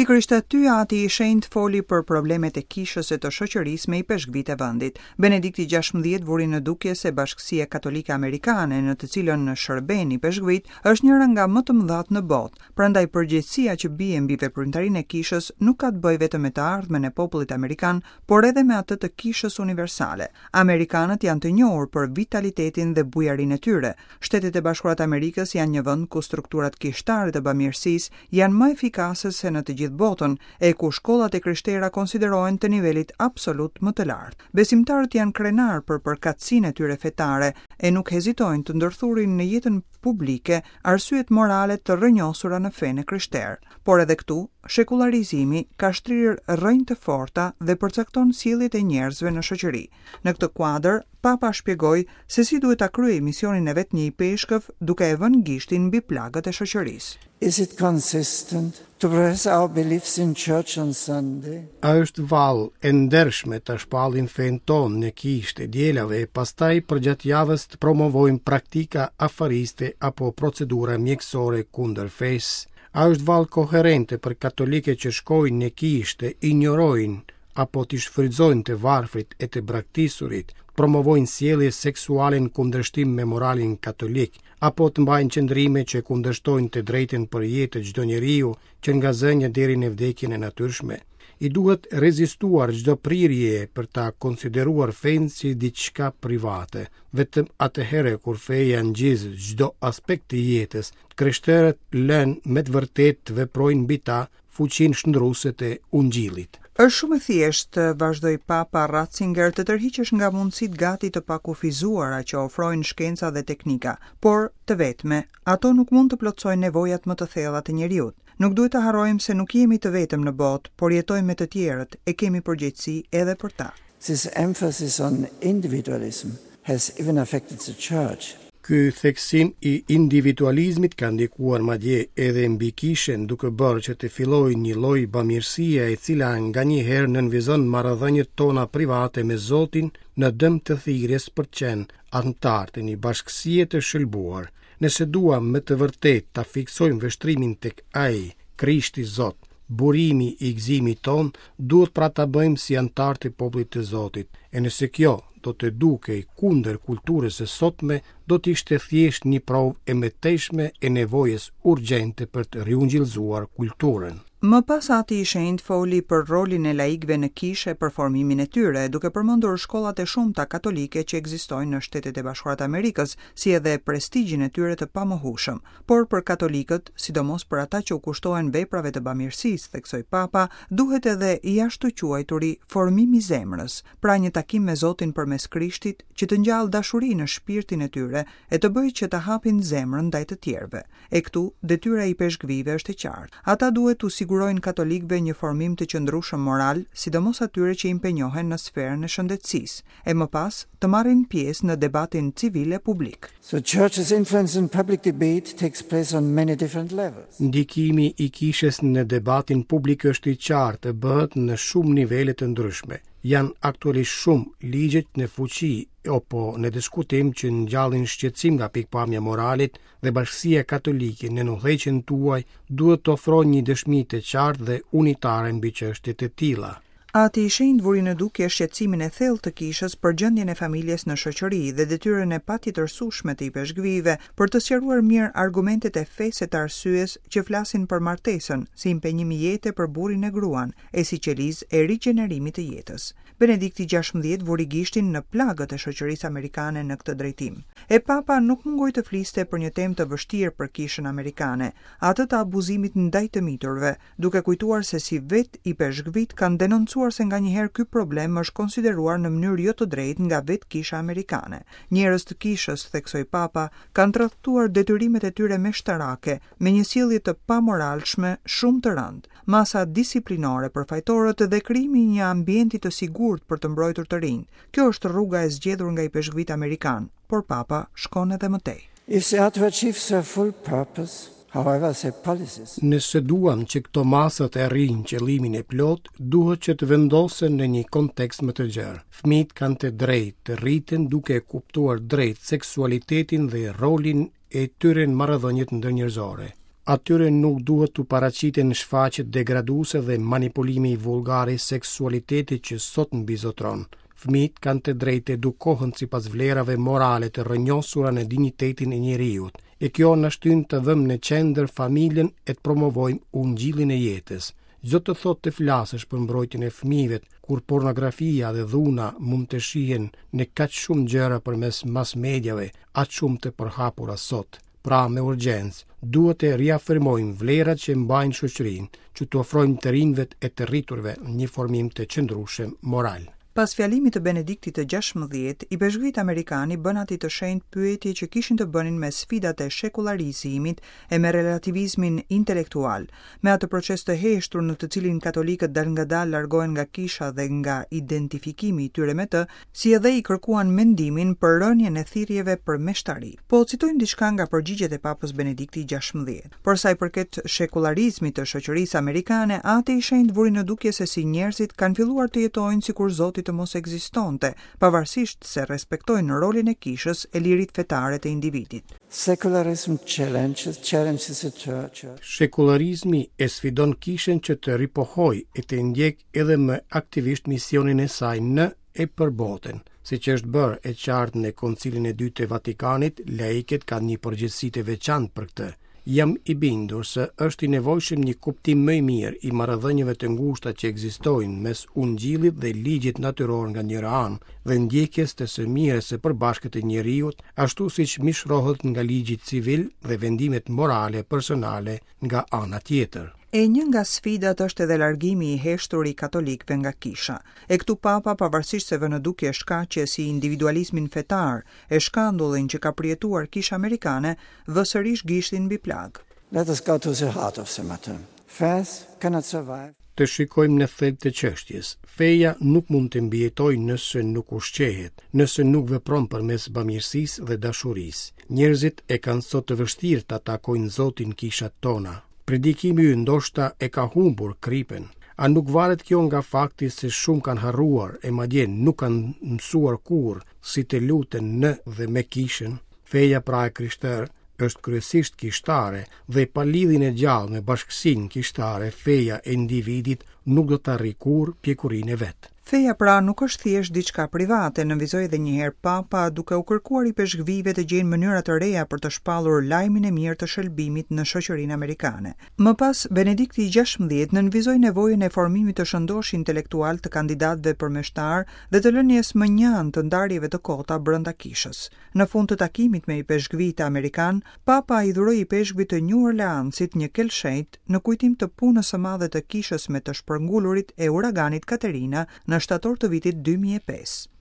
Pikërisht aty Ati i Shenjtë foli për problemet e kishës e të shoqërisë me ipeshkvijtë e vendit. Benedikti 16 vuri në dukje se Bashkësia Katolike Amerikane, në të cilën shërbejnë ipeshkvijtë, është njëra nga më të mëdhatë në botë. Prandaj përgjegjësia që bie mbi veprimtarinë e kishës nuk ka të bëjë vetëm me të ardhmen e popullit amerikan, por edhe me atë të kishës universale. Amerikanët janë të njohur për vitalitetin dhe bujarinë e tyre. Shtetet e Bashkuara të Amerikës janë një vend ku strukturat kishtare të bamirësisë janë më efikase se në të gjithë botën, e ku shkollat e krishtera konsiderohen të nivelit absolut më të lartë. Besimtarët janë krenarë për përkatësinë e tyre fetare e nuk hezitojnë të ndërthurin në jetën publike arsyet morale të rrënjosura në fenë e krishterë. Por edhe këtu, shekullarizimi ka shtrirë rrënjë të forta dhe përcakton sjelljet e njerëzve në shoqëri. Në këtë kuadër, Papa shpjegoi se si duhet ta kryejë misionin e vet një ipeshkëv duke e vënë gishtin mbi plagët e shoqërisë. Is it consistent to profess our beliefs in church on Sunday? A është vallë e ndershme ta shpallim fenë tonë në kishë të dielave e pastaj përgjatë javës të promovojmë praktika afariste apo procedura mjekësore kundër fesë? A është vallë koherente për katolikët që shkojnë në kishë të injorojnë apo t'i shfrytëzojnë të varfrit e të braktisurit, të promovojnë sjellje seksuale në kundërshtim me moralin katolik, apo të mbajnë qëndrime që kundërshtojnë të drejtën për jetë të çdo njeriu, që nga zënia deri në vdekjen e natyrshme. I duhet rezistuar çdo prirje për ta konsideruar fenë si diçka private. Vetëm atëherë kur feja ngjizë çdo aspekt të jetës, të krishterët lënë me të vërtetë të veprojnë mbi ta fuqinë shndërruese të Ungjillit. Është shumë e thjeshtë, vazhdoi Papa Ratzinger, të tërhiqesh nga mundësitë gati të pakufizuara që ofrojnë shkenca dhe teknika, por, të vetme, ato nuk mund të plotësojnë nevojat më të thella të njeriut. Nuk duhet të harrojmë se nuk jemi të vetëm në botë, por jetojmë me të tjerët e kemi përgjegjësi edhe për ta. This emphasis on individualism has even affected the church. Ky theksim i individualizmit ka ndikuar madje edhe mbi kishën, duke bërë që të fillojë një lloj bamirësie e cila nganjëherë nënvizon marrëdhëniet tona private me Zotin në dëm të thirrjes për të qenë anëtarë të një bashkësie të shëlbuar. Nëse duam me të vërtetë ta fiksojmë vështrimin tek Ai, Krishti Zot, burimi i gëzimit tonë, duhet pra ta bëjmë si anëtarë të popullit të Zotit. E nëse kjo do të dukej kundër kulturës së sotme, do të ishte thjesht një provë e mëtejshme e nevojës urgjente për të riungjillëzuar kulturën. Më pas Ati i Shenjtë foli për rolin e laikëve në kishë e për formimin e tyre, duke përmendur shkollat e shumta katolike që ekzistojnë në Shtetet e Bashkuara të Amerikës, si edhe prestigjin e tyre të pamohueshëm. Por për katolikët, sidomos për ata që u kushtohen veprave të bamirësisë, theksoi Papa, duhet edhe i ashtuquajturi formim i zemrës, pra një takim me Zotin përmes Krishtit që të ngjallë dashuri në shpirtin e tyre e të bëjë që të hapin zemrën ndaj të tjerëve. E këtu, detyra e ipeshkvijve është e qartë. Ata duhet t'u sigurojnë katolikëve një formim të qëndrueshëm moral, sidomos atyre që impenjohen në sferën e shëndetësisë, e më pas të marrin pjesë në debatin civil e publik. The church's influence in public debate takes place on many different levels. Ndikimi i kishës në debatin publik është i qartë e bëhet në shumë nivele të ndryshme. Janë aktualisht shumë ligje në fuqi apo në diskutim që ngjallin shqetësim nga pikëpamja e moralit dhe Bashkësia Katolike nën udhëheqjen tuaj duhet të ofrojë një dëshmi të qartë dhe unitare mbi çështje të tilla. Ati i Shenjtë vuri në dukje shqetësimin e thellë të Kishës për gjendjen e familjes në shoqëri dhe detyrën e patjetërsueshme të ipeshkvijve për të sqaruar mirë argumentet e fesë e të arsyes që flasin për martesën si impenjim jete për burrin e gruan e si qelizë e rigjenerimit të jetës. Benedikti 16 vuri gishtin në plagët e shoqërisë amerikane në këtë drejtim. E Papa nuk mungoi të fliste për një temë të vështirë për kishën amerikane, atë të abuzimit ndaj të miturve, duke kujtuar se si vetë ipeshkvijtë kanë denoncuar se nganjëherë ky problem është konsideruar në mënyrë jo të drejtë nga vetë kisha amerikane. Njerëz të kishës, theksoi Papa, kanë tradhtuar detyrimet e tyre meshtarake me një sjellje të pamoralshme shumë të rëndë. Masa disiplinore për fajtorët dhe krijimi i një ambienti të sigurt për të mbrojtur të rinjtë. Kjo është rruga e zgjedhur nga ipeshkvijtë amerikanë, por Papa shkon edhe më tej. If they are to achieve their full purpose, however, their policies. Nëse duam që këto masa të arrijnë qëllimin e plotë, duhet që të vendosen në një kontekst më të gjerë. Fëmijët kanë të drejtë të rriten duke e kuptuar drejt seksualitetin dhe rolin e tyre në marrëdhëniet ndërnjerëzore. Atyre nuk duhet t'u paraqiten shfaqjet degraduese dhe manipulimi vulgar i seksualitetit që sot mbizotëron. Fëmijët kanë të drejtë të edukohen sipas vlerave morale të rrënjosura në dinjitetin e njeriut, e kjo na shtyn të vëmë në qendër familjen e të promovojmë ungjillin e jetës. Ç'do të thotë të flasësh për mbrojtjen e fëmijëve, kur pornografia dhe dhuna mund të shihen në kaq shumë gjëra përmes mass mediave, aq shumë të përhapura sot. Pra, me urgjencë, duhet të riafirmojmë vlerat që mbajnë shoqërinë, që t'u ofrojmë të rinjve e të rriturve një formim të qëndrueshëm moral. Pas fjalimit të Benediktit të XVI, ipeshkvijtë amerikanë i bënë Atit të Shenjtë pyetje që kishin të bënin me sfidat e shekullarizimit e me relativizmin intelektual, me atë proces të heshtur në të cilin katolikët dalëngadalë largohen nga kisha dhe nga identifikimi i tyre me të, si edhe i kërkuan mendimin për rënien e thirrjeve për meshtari. Po citojmë diçka nga përgjigjet e Papës Benedikti XVI. Për sa i përket shekullarizmit të shoqërisë amerikane, Ati i Shenjtë vuri në dukje se si njerëzit kanë filluar të jetojnë sikur Zoti të mos ekzistonte, pavarësisht se respektojnë rolin e kishës e liritë fetare të individit. Secularism challenges challenges the church. Shekullarizmi e sfidon kishën që të ripohojë e të ndjekë edhe më aktivisht misionin e saj në e për botën. Siç është bërë e qartë në Koncilin e Dytë të Vatikanit, laikët kanë një përgjegjësi të veçantë për këtë. Jam i bindur se është i nevojshëm një kuptim më i mirë i marrëdhënieve të ngushta që ekzistojnë mes ungjillit dhe ligjit natyror nga njëra anë dhe ndjekjes të së mirës së përbashkët të njeriut, ashtu siç mishërohet nga ligji civil dhe vendimet morale personale nga ana tjetër. E një nga sfidat është edhe largimi i heshtur i katolikëve nga kisha. E këtu Papa, pavarësisht se vë në dukje shkaqe si individualizmin fetar e shkandullin që ka përjetuar kisha amerikane, vë sërish gishtin mbi plagë. Let us go to the heart of the matter. Faith cannot survive. Të shikojmë në thelb të çështjes. Feja nuk mund të mbijetojë nëse nuk ushqehet, nëse nuk vepron përmes bamirësisë dhe dashurisë. Njerëzit e kanë sot të vështirë ta takojnë Zotin në kishat tona. Predikimi ynë ndoshta e ka humbur kripën. A nuk varet kjo nga fakti se shumë kanë harruar e madje nuk kanë mësuar kurrë si të luten në dhe me kishën? Feja pra e krishterë është kryesisht kishtare dhe pa lidhjen e gjallë me bashkësinë kishtare, feja e individit nuk do të arrijë kurrë pjekurinë e vet. Feja pra nuk është thjesht diçka private, nënvizoi edhe një herë Papa, duke u kërkuar ipeshkvijve të gjejnë mënyra të reja për të shpallur lajmin e mirë të shëlbimit në shoqërinë amerikane. Më pas, Benedikti i XVI nënvizoi nevojën e formimit të shëndoshë intelektual të kandidatëve për meshtarë dhe të lënies mënjanë të ndarjeve të kota brenda kishës. Në fund të takimit me ipeshkvijtë amerikanë, Papa i dhuroi ipeshkvit të Nju Orleansit një kelshejt në kujtim të punës së madhe të kishës me të shpërngulurit e uraganit Katerina në shtator të vitit 2005.